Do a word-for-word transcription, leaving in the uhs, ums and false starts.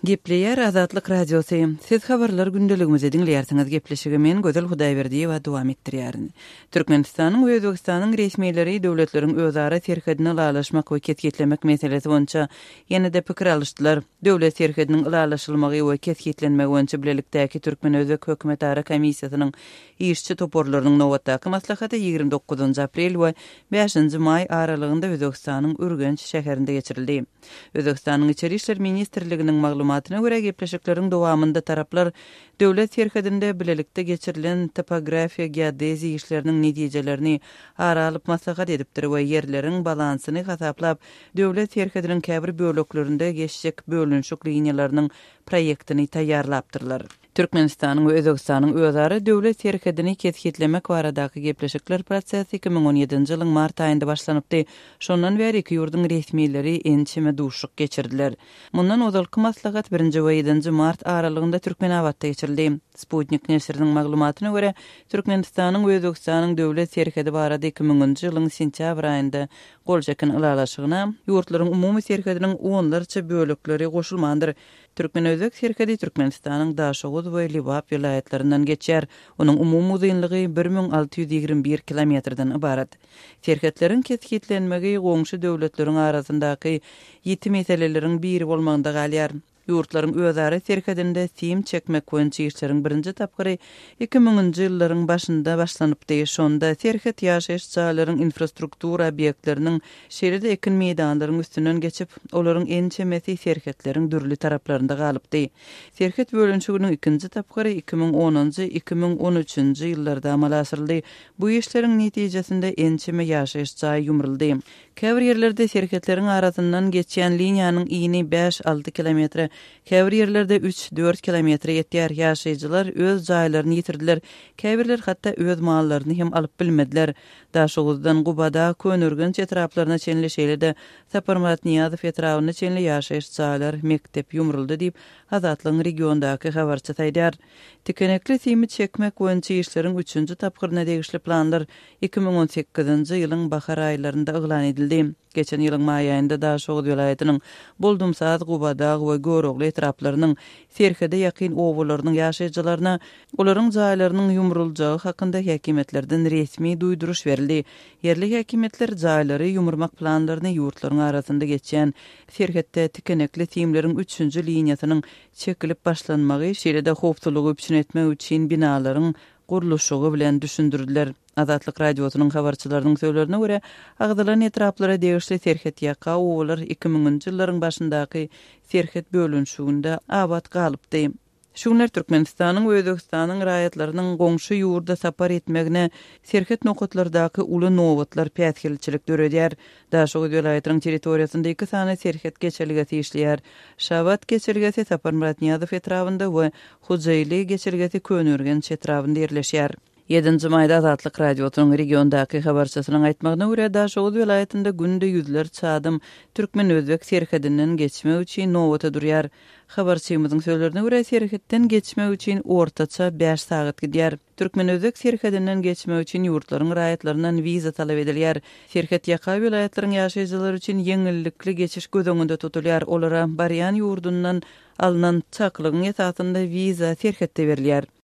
Gepleýär Azatlyk Radiosy. Siz habarlar gündeligimizi diňleýärsiňiz. Gepleşigi men Gözel Hudaýberdiýewa dowam etdirýärin. Türkmenistanyň we Özbegistanyň resmileri döwletleriň özara serhedini ylalaşmak we kesgitlemek meselesi boýunça ýene-de pikir alyşdylar. Döwlet serhediniň ylalaşylmagy we kesgitlenmegi boýunça bilelikdäki türkmen-özbek hökümetara komissiýasynyň işçi toparlarynyň nobatdaky maslahaty ýigrimi dokuzynjy aprel we bäşinji maý aralygynda Özbegistanyň Ürgenç şäherinde geçirildi. Özbegistanyň Içeri işler ministrliginiň maglumatyna görä, gepleşikleriň dowamynda taraplar döwlet serhedinde bilelikde geçirilen topografiýa-geodeziýa işleriniň netijelerini ara alyp maslahat edipdir we ýerleriň balansyny hasaplap, döwlet serhediniň käbir böleklerinde geçjek bölünişik liniýalarynyň proýektini taýýarlapdyrlar. Türkmenistanyň we Özbegistanyň özara döwlet serhedini kesgitlemek baradaky gepleşikler prosesi iki müň on ýedinji ýylyň mart aýynda başlanypdy. Şondan bäri iki ýurduň resmileri ençeme duşuşyk geçirdiler. Mundan ozalky maslahat birinji we ýedinji mart aralygynda Türkmenabatda geçirildi. Sputnik neşiriniň maglumatyna görä, Türkmenistanyň we Özbegistanyň döwlet serhedi barada iki müňünji ýylyň sentýabr aýynda gol çeken ylalaşygyna ýurtlaryň umumy serhediniň onlarça bölekleri goşulmandyr. Türkmen-özbek serhedi Türkmenistanyň Daşoguz we Lebap welaýatlaryndan geçýär. Onuň umumy uzynlygy bir müň alty ýüz ýigrimi bir kilometrden ybarat. Serhetleriň kesgitlenmegi goňşy döwletleriň arasyndaky ýiti meseleleriň biri bolmagynda galýar. Ýurtlaryň özara serhedinde sim çekmek boýunça işleriň birinji tapgyry iki müňünji ýyllaryň başynda başlanypdy. Şonda serhet ýaşaýyş jaýlaryň infrastruktura obýektleriniň, şeýle-de ekin meýdanlaryň üstünden geçip, olaryň ençemesi serhetleriň dürli taraplarynda galypdy. Serhet bölünişiginiň ikinji tapgyry iki müň onunjy, iki müň on üçünji ýyllarda amala aşyryldy. Bu işleriň netijesinde ençeme ýaşaýyş jaýy ýumruldy. Käbir ýerlerde serhetleriň arasyndan geçýän liniýanyň ini bäş-alty kilometre, käbir ýerlerde üç-dört kilometre ýetýär. Ýaşaýjylar öz jaýlaryny ýitirdiler, käbirler hatda öz mallaryny hem alyp bilmediler. Daşoguzdan Gubada, Köneürgenç etraplaryna çenli, şeýle-de Saparmyrat Nyýazow etrabyna çenli ýaşaýyş jaýlar, mekdep ýumruldy diýip, Azatlygyň regiondaky habarçysy aýdýar. Tikenekli simi çekmek boýunça işleriň üçünji tapgyryna degişli planlar iki müň on sekizinji ýylyň bahar aýlarynda yglan edildi. Geçen ýylyň maý aýynda Daşoguz welaýatynyň Boldumsaz, Gubadag we Görogly etraplarynyň serhede ýakyn obalarynyň ýaşaýjylaryna olaryň jaýlarynyň ýumruljagy hakynda häkimiýetlerden resmi duýduryş berildi. Ýerli häkimiýetler jaýlary ýumurmak planlaryny ýurtlaryň arasynda geçýän serhetde tikenekli simleriň üçünji liniýasynyň çekilip başlanmagy, şeýle-de howpsuzlygy üpjün etmek üçin binalaryň gurluşygy bilen düşündirdiler. Azatlyk Radiosynyň habarçylarynyň sözlerine görä, agzalan etraplara degişli serhet ýaka obalar iki müňünji ýyllaryň başyndaky serhet bölünişiginde abat galypdy. Şu günler Türkmenistanyň we Özbegistanyň raýatlarynyň goňşy ýurda sapar etmegine serhet nokatlardaky uly nobatlar päsgelçilik döredýär. Daşoguz welaýatynyň territoriýasynda iki sany serhet geçelgesi işleýär. Şabat geçelgesi Saparmyrat Nyýazow etrabynda we Hojaili geçelgesi Köneürgenç etrabynda ýerleşýär. Ýedinji maýda Azatlyk Radiosynyň regiondaky habarçysynyň aýtmagyna görä, Daşoguz welaýatynda günde ýüzlerçe adam türkmen-özbek serhedinden geçmek üçin nobata durýar. Habarçymyzyň sözlerine görä, serhetden geçmek üçin ortaça bäş sagat gidýär. Türkmen-özbek serhedinden geçmek üçin ýurtlaryň raýatlaryndan wiza talap edilýär. Serhet ýaka welaýatlaryň ýaşaýjylary üçin ýeňillikli geçiş göz öňünde tutulýar. Olara barýan ýurdundan alnan çakylygyň esasynda wiza serhetde berilýär.